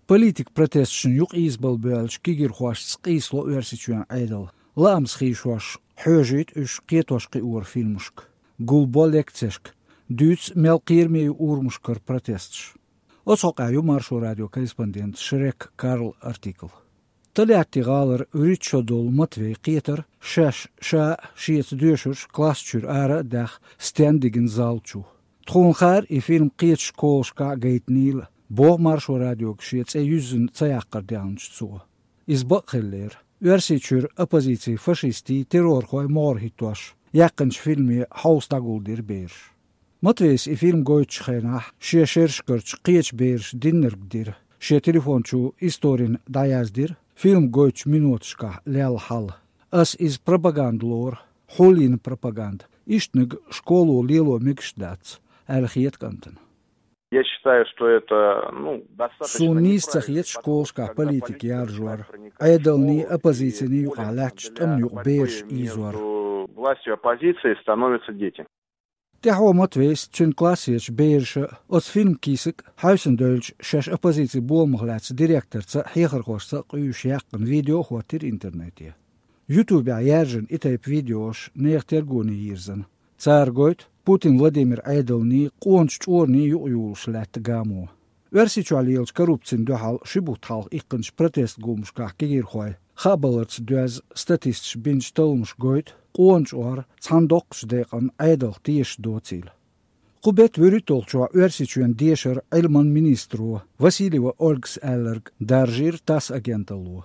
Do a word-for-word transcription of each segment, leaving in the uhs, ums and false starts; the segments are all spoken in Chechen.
Политикан протесташна юкъа ийзабала боьллачу кегийрхошца къийсало Оьрсийчоьнан Ӏедал. Лаамца хийшош хьоьжуьйту уьш кхетош-кхиоран фильмашка, гулбо лекцешка, дуьйцу мел кхераме ю урамашкара протесташ. Оцу хьокъехь ю Маршо радион корреспондентан Шрек Карла артикл. Тольятти гӀалара вуьрхӀитта шо долу Матвей кхетара шаьш ша а, шеца доьшурш класс чуьра ара а даьхна, стенна дигна зал чу. Тхуна хаьара и фильм кхечу школашкахь а гайтинийла, боху Маршо радиога шен цӀе юьззина ца яккхар даьхначу цо. Иза бакъ хиллера. Оьрсийчуьра оппозицин фашистийн, террорхойн могӀара хӀиттош яьккхинчу фильме хьовса дӀагулдира бераш. Матвейс и фильм гойтучу хенахь шен шерашкарчу кхечу бераша диннарг дира, шен телефон чу историна дӀаяздира фильм гойтучу миноташкахь лелла хьал. Ас иза пропаганда лору, хьулйина пропаганда, ишттаниг школо лело мегаш дац, аьлла хета кӀантана. Я считаю, что это, ну, достаточно... Суна нийса ца хета школашкахь политика яржор, Ӏедалний, оппозицийний юкъахь лаьттачу тӀамна юкъа бераш ийзор. Между властью и оппозицией становятся дети. ТӀаьхьо Матвейс, цуьнан классерчу бераша, оцу фильман кийсак а, хьаьвсина девлча шаьш оппозицин боламах лаьцна директорца а, хьехархошца а къуьйсуш яьккхина видео а хӀоттийра интернете. Ютубехь яьржина и тайпа видеош нехан тергоне йирзина. Цара гойту Путин Владимиран Ӏедалний, къоначу чкъурний юкъайолуш лаьтта гамо. Оьрсийчохь лелачу коррупцина дуьхьал ши бутт хьалха иккхинчу протест гуламашкахь кегийрхой хаабаларца доьзна статисташа бинчу талламаша гойту къона чкъор цхьана доккхачу декъана Ӏедалх тешаш доцийла. Кху беттан вуьрхӀитталгӀачохь Оьрсийчоьнан дешара, Ӏилман министро Васильева Ольгас аьлларг даржийра ТАСС агенталло.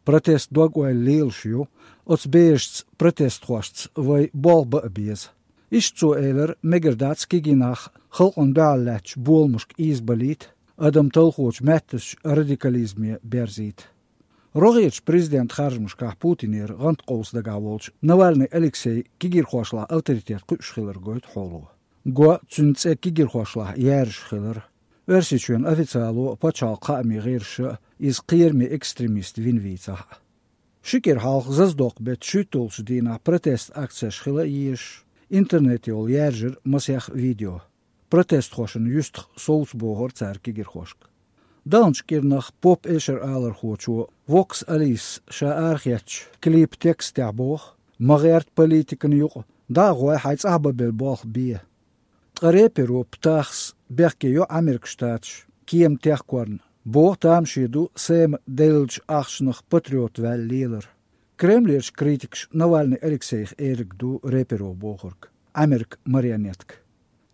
Протест дог-ойла лелаш ю, оцу берашца, протестхошца вай болх бан а беза. Иштта цо элира, мегар дац кегий нах халкъана дуьхьал лаьттачу боламашка ийзабалийта, адам талхочу маьттазчу радикализме берзийта. РогӀерчу президентан харжамашкахь Путинера гӀанткъовса дагахь волчу Навальный Алексейн кегийрхошлахь авторитет кхуьуш хилар гойту хьоло. Го цуьнан цӀе кегийрхошлахь яьржаш хилар, Оьрсийчоьнан официало а, пачхьалкхан хаамийн гӀирсаша а иза кхераме экстремист вина вийцахь а. Ши кӀира хьалха Заздоккху-беттан шуьйтталгӀачу дийнахь протест акцеш хила а езаш, интернете йолу яьржира масех видео. Протестхошна юьстах совцабохура цара кегийрхошка. ДӀадаханчу кӀирнах поп-эшаралархочо Вокс Алис ша арахецначу клипан текстехь боху: «Ма гӀерта политикана юкъа, дӀа а гӀой, хьайн цӀахь бан белла болх бе». Ткъа рэперо Птахс бехке йо Ӏамеркан Штаташ кема техкорна, боху тамаше ду Сэма деллачу ахчанах патриот ваьлла лелар. Кремлерчу критикаша Навальный Алексейх эриг ду рэперо бохург, Ӏамеркан марионетка.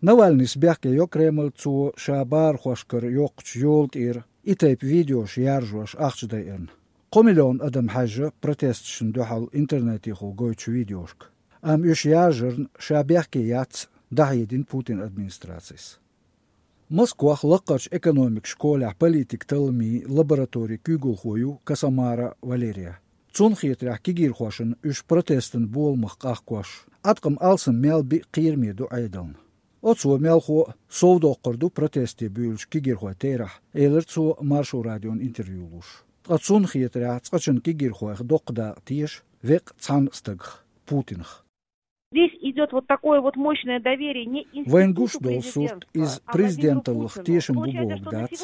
Навальныйс бехке йо Кремль, цо ша бахархошкара йоккхучу йола тӀера и тайпа видеош яржош ахча дайарна. Кхо миллион адам хьаьжжа протесташна дуьхьал интернетехула гойтучу видеошка. Амма уьш яржарна ша бехке яц дӀахьедина Путинан администрацис. Москвахь лакхарчу экономикан школехь политикан талламийн лабораторин куьйгалхо ю Касамара Валерия. Цунна хетарехь, кегийрхошна уьш протестан боламах къахкош, Ӏаткъам алсам мел биъ кхераме ду Ӏедална. Оцо мелхо а совдоккхур ду протесте буьйлучу кегийрхойн терахь, элира цо Маршо радиона интервью луш. Ткъа цунна хетарехь, цкъачунна кегийрхойх доккха дакъа теша веккъа цхьана стагах, Путинах. Здесь идёт вот такое вот мощное доверие не институту президентства, а Владимиру Путину. В общем, это что на сегодняшний момент они, как бы, страны доверяют ему, а он, конечно, не имеет права. Вайн гуш долу сурт иза президенталлах тешам бу боху дац.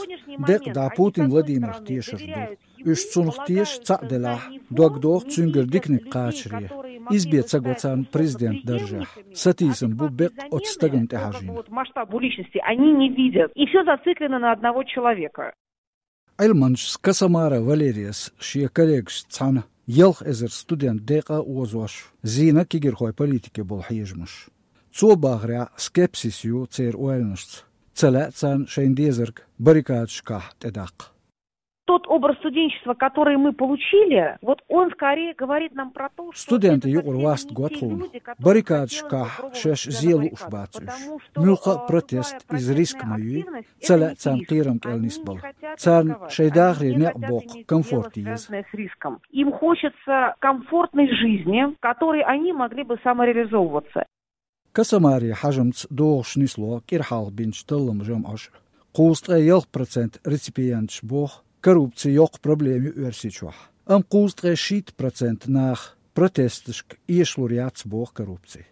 Декъа дӀа Путин Владимирах тешар ду. Уьш цунах теша цхьаъ делахь, дог доху цуьнгара диканиг кхачаре. Иза бен ца го царна президент даржехь. Сатийсам бу беккъа оцу стагана тӀехьажийна. Масштабу личности они не видят. И всё зациклено на одного человека. Ӏилманчас Касамара Валерияс шен коллегашца цхьаьна ялх эзар студент декъа а озош, зийна кегийрхойн политике болу хьежамаш. Цо бахарехь, скепсис ю церан ойланашца, ца лаьа царна шайна дезарг баррикадашкахь тӀедаккха. Тот образ студенчества, который мы получили, вот он скорее говорит нам про то, что это совсем не те люди, которые хотят... Студентийн юкъара васт го тхуна. Баррикадашкахь шаьш зен лууш бац уьш. Муьлхха а протест иза риск ма юй, ца лаьа царна кхерам кӀел нисбала. Царна шайн дахаре некъ боккху комфорт еза. Им хочется комфортной жизни, в которой они могли бы самореализовываться. Касамарин хьажамца догӀуш нисло кӀира хьалха бинчу талламан жамӀаша. Кхузткъе ялх процент реципиенташа боху, коррупци йоккха проблема ю Оьрсийчохь. Амма кхузткъе шийтта процент наха протесташка эшалур яц боху коррупци.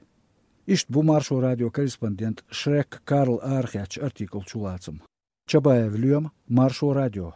Иштта бу Маршо радион корреспондент Шрек Карла арахецначу артиклан чулацам. Чабаев Лоьма, Маршо радио.